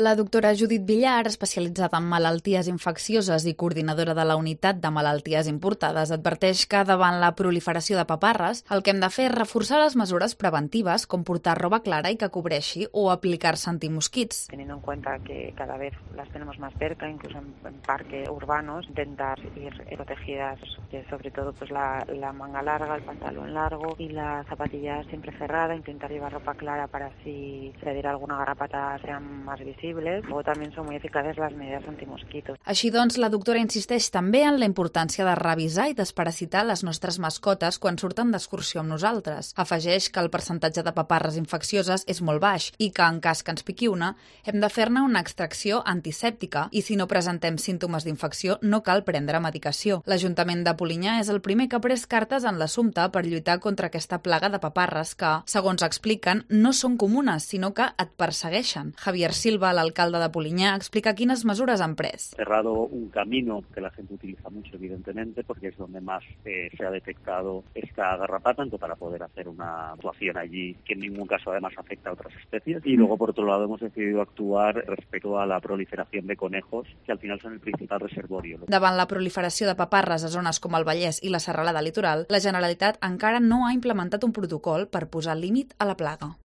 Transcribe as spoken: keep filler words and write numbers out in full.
La doctora Judit Villar, especialitzada en malalties infeccioses i coordinadora de la unitat de malalties importades, adverteix que davant la proliferació de paparres el que hem de fer és reforçar les mesures preventives com portar roba clara i que cobreixi o aplicar-se antimosquits. Teniendo en cuenta que cada vez las tenemos más cerca, incluso en, en parques urbanos, intentar ir protegidas, sobre todo pues la, la manga larga, el pantalón largo y la zapatilla siempre cerrada, intentar llevar ropa clara para si se diera alguna garrapata sean más visibles. Luego también son muy eficaces las medidas antimosquitos. Així doncs, la doctora insisteix també en la importància de revisar i desparasitar les nostres mascotes quan surten d'excursió amb nosaltres. Afegeix que el percentatge de paparres infeccioses és molt baix i que, en cas que ens piqui una, hem de fer-ne una extracció antisèptica i si no presentem símptomes d'infecció no cal prendre medicació. L'Ajuntament de Polinyà és el primer que ha pres cartes en l'assumpte per lluitar contra aquesta plaga de paparres que, segons expliquen, no són comunes, sinó que et persegueixen. Javier Silva, l'alcalde de Polinyà, explica quines mesures han pres. Cerrado un camino que la gente utiliza mucho, evidentemente, porque es donde más eh, se ha detectado esta garrapata, entonces para poder hacer una actuación allí que en ningún caso además afecta a otras especies. Y luego, por otro lado, hemos decidido actuar respecto a la proliferación de conejos, que al final son el principal reservorio. Davant la proliferació de paparres a zones com el Vallès i la Serralada Litoral, la Generalitat encara no ha implementat un protocol per posar límit a la plaga.